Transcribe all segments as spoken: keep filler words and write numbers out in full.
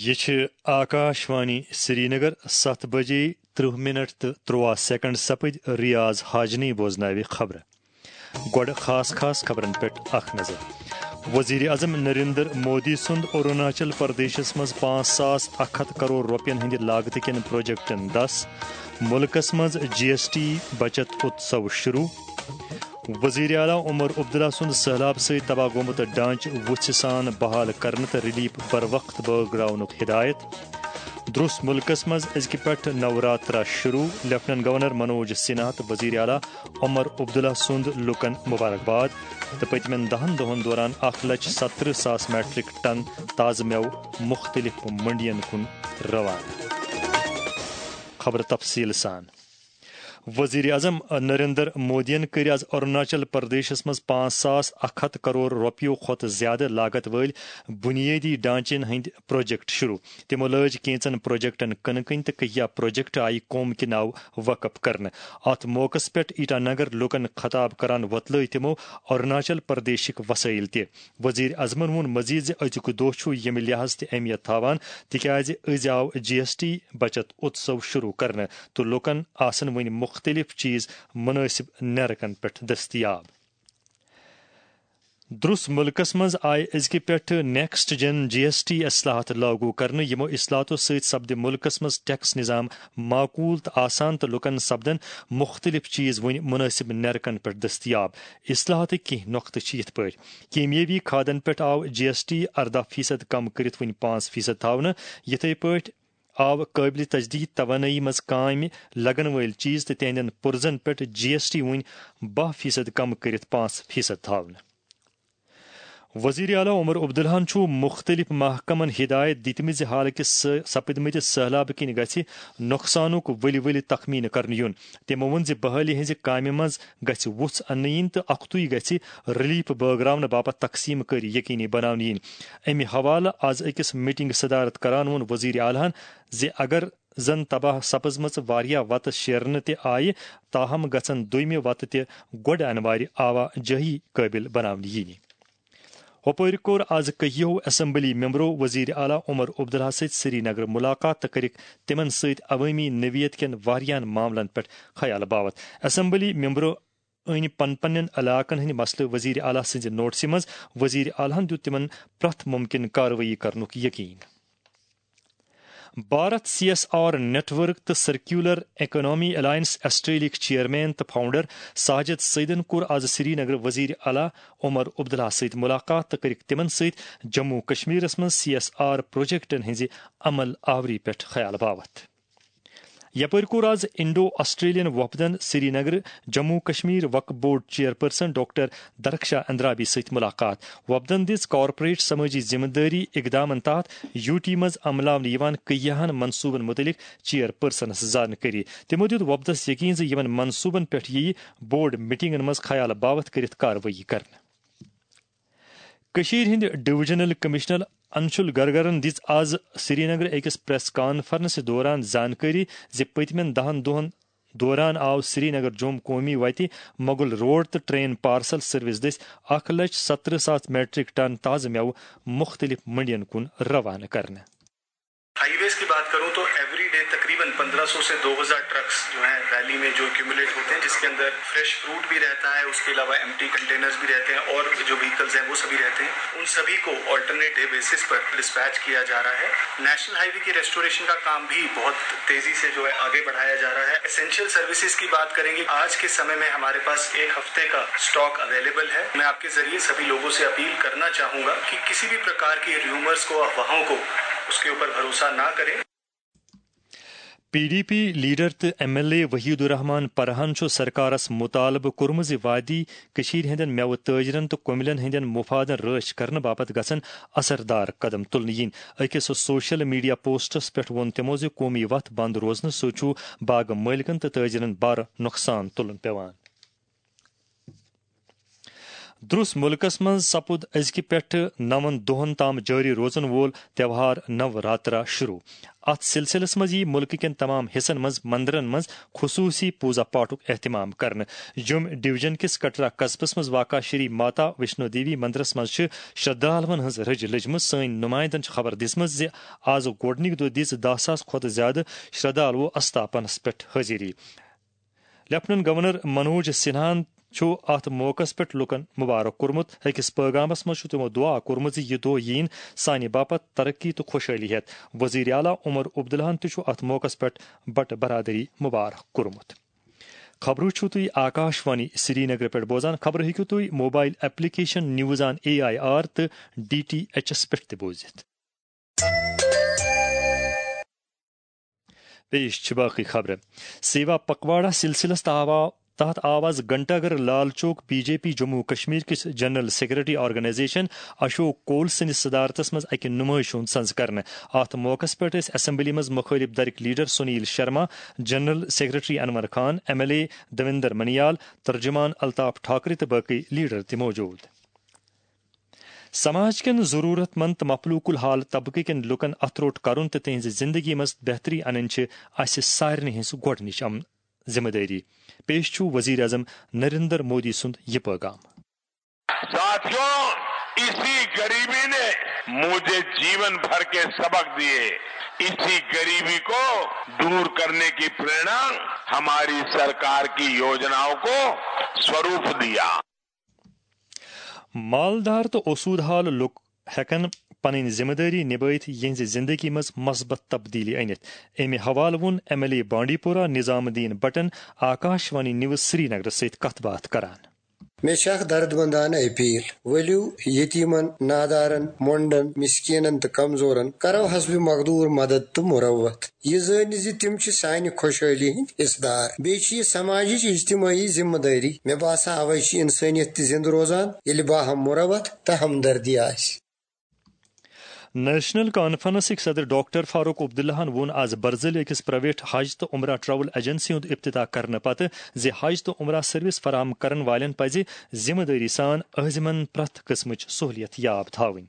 یہِ چھِ آکاش وانی سرینگر۔ ستھ بجے ترٕہ منٹ تہٕ ترُواہ سیکنڈ سپٕدۍ۔ ریاض حاجنی بوزناوِ خبرٕ۔ گۄڈٕ خاص خاص خبرن پٮ۪ٹھ اکھ نظر۔ وزیر اعظم نریندر مودی سُنٛد اروناچل پردیشس منٛز پانٛژھ ساس اکھ ہتھ کرور رۄپین ہٕنٛدِ لاگتہٕ کٮ۪ن پروجیکٹن دس۔ مُلکس منٛز جی ایس ٹی بچت اتسو شروع۔ وزیر اعلیٰ عمر عبداللہ سُنٛد سٔہلاب سۭتۍ تباہ گوٚمُت ڈانٛچہٕ وُژھِ سان بحال کرنہٕ تہٕ ریلیف بروقت بٲگراونُک ہدایت۔ درٛس مُلکس منٛز أزکہِ پٮ۪ٹھ نوراترا شروع۔ لیفٹیننٹ گورنر منوج سنہا تہٕ وزیر اعلیٰ عمر عبداللہ سُنٛد لوٗکن مبارکباد۔ تہٕ پٔتمٮ۪ن دَہن دۄہن دوران اکھ لچھ ستترٕہ ساس میٹرک ٹن تازٕ مٮ۪وٕ مُختٔلِف منڈین کُن روانہٕ۔ خبرٕ تفصیٖل سان۔ وزیر اعظم نریندر مودیَن کٔرۍ آز اروناچل پردیشس منٛز پانٛژھ ساس اکھ ہتھ کرور رۄپیو کھۄتہٕ زیادٕ لاگت وٲلۍ بنیٲدی ڈھانچن ہٕنٛدۍ پروجیکٹ شروع۔ تِمو لٲج کینٛژن پروجیکٹن کٕنہٕ کٕنۍ تہٕ کینٛہہ پروجیکٹ آیہِ قوم کہِ ناوٕ وقف کرنہٕ۔ اتھ موقعس پٮ۪ٹھ ایٹا نگر لوٗکن خطاب کران وۄتلٲوۍ تِمو اروناچل پردیشٕکۍ وسٲیل تہِ۔ وزیر اعظمن ووٚن مزید زِ أزیُک دۄہ چھُ ییٚمہِ لحاظ تہِ اہمیت تھاوان، تِکیازِ أزۍ آو جی ایس ٹی بچت اتسو شروع کرنہٕ تہٕ لوٗکن آسن وۄنۍ مُختٔلِف چیز مُنٲسِب نیرکن پٮ۪ٹھ دٔستیاب۔ درٛس مُلکس منٛز آیہِ أزکہِ پٮ۪ٹھٕ نیکسٹ جن جی ایس ٹی اصلاحات لاگو کرنہٕ۔ یِمو اصلاحاتو سۭتۍ سپدِ مُلکس منٛز ٹیکس نظام معقول تہٕ آسان تہٕ لوٗکن سپدن مُختٔلِف چیز وۄنۍ مُنٲسِب نیرکن پٮ۪ٹھ دٔستیاب۔ اصلاحاتٕکۍ کینٛہہ نۄقطہٕ چھِ یِتھ پٲٹھۍ: کیمیٲوی کھادن پٮ۪ٹھ آو جی ایس ٹی ارداہ فیصد کم کٔرِتھ وۄنۍ پانٛژھ فیصد تھاونہٕ۔ یِتھے پٲٹھۍ آو قٲبلِ تجدید توانٲیی منٛز کامہِ لگن وٲلۍ چیز تہٕ تِہنٛدٮ۪ن پُرزن پٮ۪ٹھ جی ایس ٹی وۄنۍ باہ فیصد کم کٔرِتھ پانٛژھ فیصد تھاونہٕ۔ وزیر اعلیٰ عمر عبداللہن چھُ مُختٔلِف محکمن ہدایت دِتمٕژ زِ حالکہِ سٲ-، سپدمٕتہِ سٔہلابہٕ کِنۍ گژھِ نۄقصانُک ؤلۍ ؤلۍ تخمینہٕ کرنہٕ یُن۔ تِمو ووٚن زِ بحالی ہٕنٛزِ کامہِ منٛز گژھِ وُژھ اننہٕ یِنۍ تہٕ اکھتُے گژھِ ریلیف بٲگراونہٕ باپتھ تقسیٖم کٲری یقینی بناونہٕ یِنۍ۔ امہِ حوالہٕ آز أکِس میٹنگ صدارت کران ووٚن وزیر اعلیٰ ہن زِ اگر زن تباہ سپزمژٕ واریاہ وتہٕ شیرنہٕ تہِ آیہِ، تاہم گژھن دوٚیمہِ وتہٕ تہِ گۄڈٕ انوارِ آوا جٲہی قٲبل بناونہٕ یِنہِ۔ ہۄپٲرۍ کوٚر آز کٔہیو اسمبلی ممبرو وزیر اعلیٰ عمر عبداللہ سۭتۍ سری نگر ملاقات تہٕ کٔرٕکھ تِمن سۭتۍ عوٲمی نوعیت کٮ۪ن واریاہن معاملن پٮ۪ٹھ خیال باوتھ۔ اسمبلی ممبرو أنۍ پن پننٮ۪ن علاقن ہٕنٛدۍ مسلہٕ وزیر اعلیٰ سٕنٛزِ نوٹسہِ منٛز۔ وزیر اعلیٰ ہن دیُت تِمن پرٛٮ۪تھ ممکن کاروٲیی کرنُک یقین۔ Bharat C S R network تہٕ سرکیولر اکنامی الائنس آسٹریلیاہٕکۍ چیئرمین تہٕ فاؤنڈر ساجد سعیدن کوٚر آز سری نگر وزیر اعلیٰ عمر عبداللہ سۭتۍ ملاقات تہٕ کٔرٕکھ تِمن سۭتۍ جموں کشمیرس منٛز سی ایس آر پروجیکٹن ہٕنٛزِ عمل آوری پٮ۪ٹھ خیال باوتھ۔ یپٲرۍ کوٚر آز انڈو آسٹریلین وفدن سری نگر جموں کشمیر وقف board chairperson doctor Darakhshan Andrabi سۭتۍ ملاقات۔ وفدن دِژ کارپوریٹ سمٲجی ذمہ دٲری اقدامن تحت یو ٹی منٛز عملاونہٕ یِوان کیاہن منصوبن متعلق چیئرپرسنس زانکٲری۔ تِمو دیُت وفدس یقین زِ یِمن منصوبن پٮ۪ٹھ یِیہِ بورڈ میٹنگن منٛز خیال باوتھ کٔرِتھ کاروٲیی کرنہٕ۔ کٔشیٖرِ ہٕنٛدِ ڈویژنل کمشنر انشول گرگرن دِژ آز سرینگرٕ أکِس پریس کانفرنسہِ دوران زانکٲری زِ پٔتمٮ۪ن دَہن دۄہن دوران آو سرینگر جوم قومی وتہِ مغل روڈ تہٕ ٹرین پارسل سروس دٔسۍ اکھ لچھ ستترٕہ ساس میٹرک ٹن تازٕ مٮ۪وٕ مُختٔلِف منڈین کُن روانہٕ کرنہٕ۔ ہائی ویز کی بات کروں تو ایوری ڈے تقریباً پندرہ سو سے دو ہزار ٹرکس جو ہیں ویلی میں جو ایکومولیٹ ہوتے ہیں، جس کے اندر فریش فروٹ بھی رہتا ہے، اس کے علاوہ ایمٹی کنٹینرز بھی رہتے ہیں اور جو وہیکلز ہیں وہ سبھی رہتے ہیں۔ ان سبھی کو آلٹرنیٹ ڈے بیسس پر ڈسپیچ کیا جا رہا ہے۔ نیشنل ہائی وے کی ریسٹوریشن کا کام بھی بہت تیزی سے جو ہے آگے بڑھایا جا رہا ہے۔ اسینشل سروسز کی بات کریں گے، آج کے سمے میں ہمارے پاس ایک ہفتے کا اسٹاک اویلیبل ہے۔ میں آپ کے ذریعے سبھی لوگوں سے اپیل کرنا چاہوں گا کہ کسی بھی پرکار کی ریومرز کو، افواہوں کو، اس کے اوپر بھروسہ نہ کریں۔ پی ڈی پی لیڈر تہٕ ایم ایل اے وحید الرحمان پرہن چھُ سرکارس مطالبہٕ کوٚرمُت زِ وادی کٔشیٖرِ ہٕنٛدٮ۪ن مٮ۪وٕ تٲجرن تہٕ کۄملٮ۪ن ہٕنٛدٮ۪ن مفادن رٲچھ کرنہٕ باپتھ گژھن اثردار قدم تُلنہٕ یِنۍ۔ أکِس سوشل میڈیا پوسٹس پٮ۪ٹھ ووٚن تِمو زِ قومی وتھ بند روزنہٕ سۭتۍ چھُ باغہٕ مٲلکن تہٕ تٲجرن بارٕ نۄقصان تُلُن پٮ۪وان۔ درس ملکس منٛز سپُد أزکہِ پٮ۪ٹھٕ نَوَن دۄہَن تام جٲری روزن وول تہوار نوراترا شروع۔ اتھ سلسلس منٛز یِیہِ ملکہٕ کٮ۪ن تمام حصن منٛز مندرن منٛز خصوصی پوزا پاٹھُک اہتمام کرنہٕ۔ جوٚم ڈویژن کِس کٹرا قصبس منٛز واقع شری ماتا ویشنو دیوی مندرس منٛز چھِ شردھالوَن ہٕنٛز رٔج لٔجمٕژ۔ سٲنۍ نمائندن چھِ خبر دِژمٕژ زِ آز گۄڈٕنِکۍ دۄہ دِژ دَہ ساس کھۄتہٕ زیادٕ شردھالوو استاپنس پٮ۪ٹھ حٲضری۔ لیفٹیننٹ گورنر منوج سنہاہن چھُ اتھ موقعس پٮ۪ٹھ لوٗکن مبارک کوٚرمُت۔ أکِس پٲغامس منٛز چھُ تِمو دُعا کوٚرمُت زِ یہِ دۄہ یِیِن سانہِ باپتھ ترقی تہٕ خۄشحٲلی ہٮ۪تھ۔ وزیر اعلیٰ عمر عبداللہن تہِ چھُ اتھ موقعس پٮ۪ٹھ بٹہٕ برادری مبارک کوٚرمُت۔ خبرٕ چھِو تُہۍ آکاش وانی سرینگرٕ پٮ۪ٹھ بوزان۔ خبرٕ ہیٚکِو تُہۍ mobile application news on A I R تہٕ ڈی ٹی ایچ ایس پٮ۪ٹھ تہِ بوٗزِتھ۔ پیش چھِ باقٕے خبرٕ۔ سیوا پکواڑا سلسلس تہٕ آوا-، تحت آو آز Ghanta Ghar Lal Chowk B J P Jammu Kashmir کِس general secretary organisation Ashok Koul سٕنٛدِس صدارتس منٛز اکہِ نمٲیشہِ ہُنٛد سنز کرنہٕ۔ اتھ موقعس پٮ۪ٹھ ٲسۍ اسمبلی منٛز مخٲلف دھرٕکۍ leader Sunil Sharma, general secretary Anwar Khan, M L A Devinder Manyal, ترجمان الطاف ٹھاکرے تہٕ باقٕے لیڈر تہِ موجود۔ سماج کٮ۪ن ضروٗرت مند تہٕ مفلوٗک الحال طبقہٕ کٮ۪ن لوٗکن اتھٕ روٚٹ کرُن تہٕ تِہنٛزِ زندگی منٛز بہتری انٕنۍ چھِ اسہِ سارنٕے ہٕنٛز گۄڈٕنِچ ام-، ذمہٕ دٲری۔ پیش چھُ وزیر اعظم نریندر مودی سُنٛد یہِ پٲغام۔ ساتھیوں، اسی غریبی نے مجھے جیون بھر کے سبق دیے۔ اسی غریبی کو دور کرنے کی پریرنا ہماری سرکار کی योजनाओं को स्वरूप दिया۔ مالدار تہٕ اوسوٗد حال لُکھ ہٮ۪کن پنٕنۍ ذمہٕ دٲری نِبٲوِتھ یِہنٛزِ زندگی منٛز مثبت تبدیلی أنِتھ۔ اَمہِ حوالہٕ ووٚن ایم ایل اے بانڈی پورہ نظام الدین بٹن آکاش وانی نیوز سرینگرس سۭتۍ کتھ باتھ کران۔ مےٚ چھِ اکھ دردمندانہٕ اپیل، ؤلِو یتیمن، نادارن، مۄنڈن، مسکینن تہٕ کمزورن کرو حسب مقدور مدد تہٕ مروت۔ یہِ زٲنِتھ زِ تِم چھِ سانہِ خۄشحٲلی ہٕنٛدۍ حصہٕ دار۔ بیٚیہِ چھِ یہِ سماجٕچ اجتمٲعی ذمہٕ دٲری۔ مےٚ باسان، اوے چھِ انسٲنیت تہِ زندٕ روزان، ییٚلہِ باہم مروت تہٕ ہمدردی آسہِ۔ نیشنل کانفرنسٕکۍ صدر ڈاکٹر فاروق عبداللہن ووٚن آز برزٕلۍ أکِس پرائیویٹ حج تہٕ عمرہ ٹریول ایجنسی ہُنٛد افتتاح کرنہٕ پتہٕ زِ حج تہٕ عمرہ سروس فراہم کرن والٮ۪ن پزِ ذمہٕ دٲری سان أہنٛزِ یِمن پرٛٮ۪تھ قٕسمٕچ سہوٗلیت یاب تھاوٕنۍ۔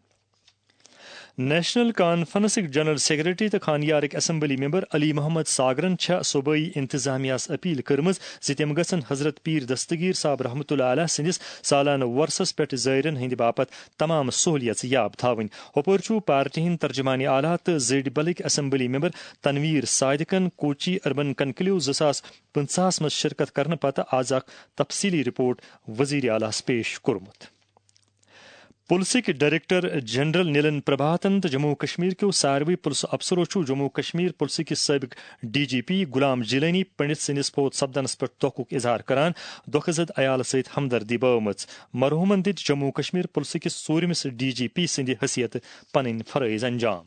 نیشنل کانفرنسٕکۍ جنرل سیکرٹری تہٕ خانیارٕکۍ اسمبلی ممبر علی محمد ساگرن چھےٚ صوبٲئی انتظامیہس اپیل کٔرمٕژ زِ تِم گژھن حضرت پیٖر دستگیٖر صاحب رحمتہ اللہ علیہ سٕنٛدِس سالانہٕ وۄرسس پٮ۪ٹھ زٲیرن ہٕنٛدِ باپتھ تمام سہولیژٕ یاب تھاوٕنۍ۔ ہُپٲرۍ چھُ پارٹی ہٕنٛدۍ ترجمان اعلیٰ تہٕ زٔڈۍ بلٕکۍ اسمبلی ممبر تنویر صادقن کوچی اربن کنکلیو زٕ ساس پٕنٛژٕہس منٛز شرکت کرنہٕ پتہٕ آز اکھ تفصیلی رپورٹ وزیر اعلیٰ ہس پیش کوٚرمُت۔ پُلسٕکۍ ڈائریکٹر جنرل نیلن پربھاتن تہٕ جموں و کشمیر کیو ساروٕے پُلسہٕ افسرو چھُ جموں و کشمیر پُلسہٕ کِس سٲبِق D G P Ghulam Jeelani Pandit سٕنٛدِس فوت سپدنس پٮ۪ٹھ دۄکھُک اظہار کران دۄکھٕ زد عیالہٕ سۭتۍ ہمدردی بٲومٕژ۔ مرحوٗمن دِتۍ جموں و کشمیر پُلسہٕ کِس ژوٗرمِس ڈی جی پی سٕنٛدِ حیثیتہٕ پنٕنۍ فرٲیض انجام۔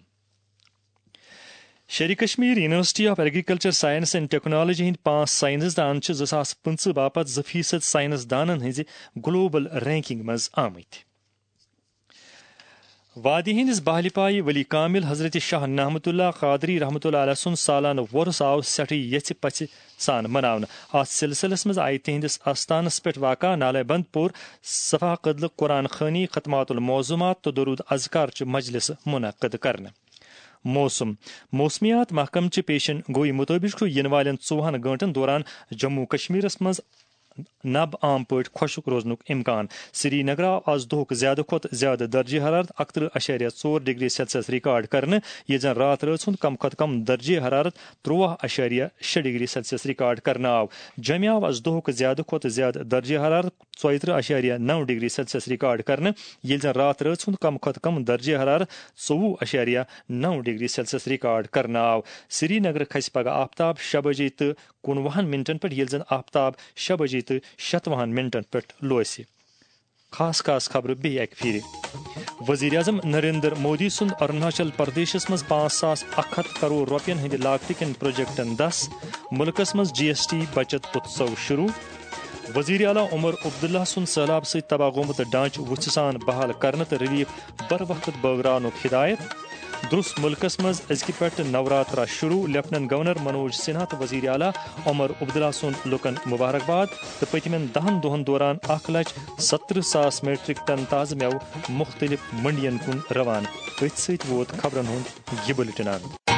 Sher-e Kashmir university of agriculture science and technology ہٕنٛدۍ پانٛژھ سائنس دان چھِ زٕ ساس پٕنٛژٕہ باپتھ زٕ فیصد سائنس دانن ہٕنٛزِ گلوبل رینکنگ منٛز آمٕتۍ۔ وادی ہٕنٛدِس بہلہِ پایہِ ولی کامل حضرت شاہ نعمت اللہ قادری رحمت اللہ علیہ سُنٛد سالانہٕ وۄرُس آو سٮ۪ٹھٕے یژھِ پژھِ سان مناونہٕ۔ اتھ سلسلس منٛز آیہِ تِہنٛدِس آستانس پٮ۪ٹھ واقع نالے بند پور صفا قدلہٕ قرآن خوانی، ختمات المعظمات تہٕ درود اذکار چہِ مجلسہٕ منعقد کرنہٕ۔ موسم۔ موسمیات محکمہٕ چہِ پیشن گوئی مُطٲبِق چھُ یِنہٕ والٮ۪ن ژوٚوُہن گٲنٛٹن دوران جموں کشمیرس منٛز نب عام پٲٹھۍ خۄشک روزنُک امکان۔ سرینگر آو آز دۄہُک زیادٕ کھۄتہٕ زیادٕ درجہ حرارت اکترٕہ اَشاریہ ژور ڈگری سیلسیس ریکارڈ کرنہٕ، ییٚلہِ زن راتھ رٲژ ہُنٛد کم کھۄتہٕ کم درجہ حرارت ترٛواہ اَشاریہ شےٚ ڈگری سیلسیس ریکارڈ کرنہٕ آو۔ جوٚمہِ آو آز دۄہُک زیادٕ کھۄتہٕ زیادٕ درجہ حرارت ژۄیترٕہ اَشاریہ نَو ڈگری سیلسیس ریکارڈ کرنہٕ، ییٚلہِ زن راتھ رٲژ ہُنٛد کم کھۄتہٕ کم درجہ حرارت ژوٚوُہ اَشاریہ نَو ڈگری سیلسیس ریکارڈ کرنہٕ آو۔ سرینگر کھسہِ پگہہ آفتاب شےٚ بجے تہٕ کُنوُہن منٹن پٮ۪ٹھ، ییٚلہِ زن آفتاب شےٚ بجے تہٕ شتوُہن منٹن پٮ۪ٹھ لوسہِ۔ خاص خاص خبرٕ بیٚیہِ اکہِ پھِرِ۔ وزیر اعظم نریندر مودی سُنٛد اروناچل پردیشس منٛز پانٛژھ ساس اکھ ہتھ کرور رۄپین ہٕنٛدِ لاگتہٕ کٮ۪ن پروجیکٹن دس، مُلکس منٛز جی ایس ٹی بچت اتسو شروع۔ وزیر اعلیٰ عمر عبداللہ سُنٛد سٔہلاب سۭتۍ تباہ گوٚمُت ڈانٛچہٕ وُژھِ سان بحال کرنہٕ تہٕ ریلیف بر وقت بٲگراونُک ہدایت۔ درس ملکس منٛز أزکہِ پٮ۪ٹھ نوراترا شروع، لیفٹیننٹ گورنر منوج سنہا تہٕ وزیر اعلیٰ عمر عبداللہ سُنٛد لُکن مبارکباد۔ تہٕ پٔتمٮ۪ن دہن دۄہن دوران اکھ لچھ ستترٕہ ساس میٹرک ٹن تازٕ مٮ۪وٕ مُختٔلِف منڈین کُن روانہٕ۔ أتھۍ سۭتۍ ووت خبرن ہُنٛد یہِ بُلٹن اند۔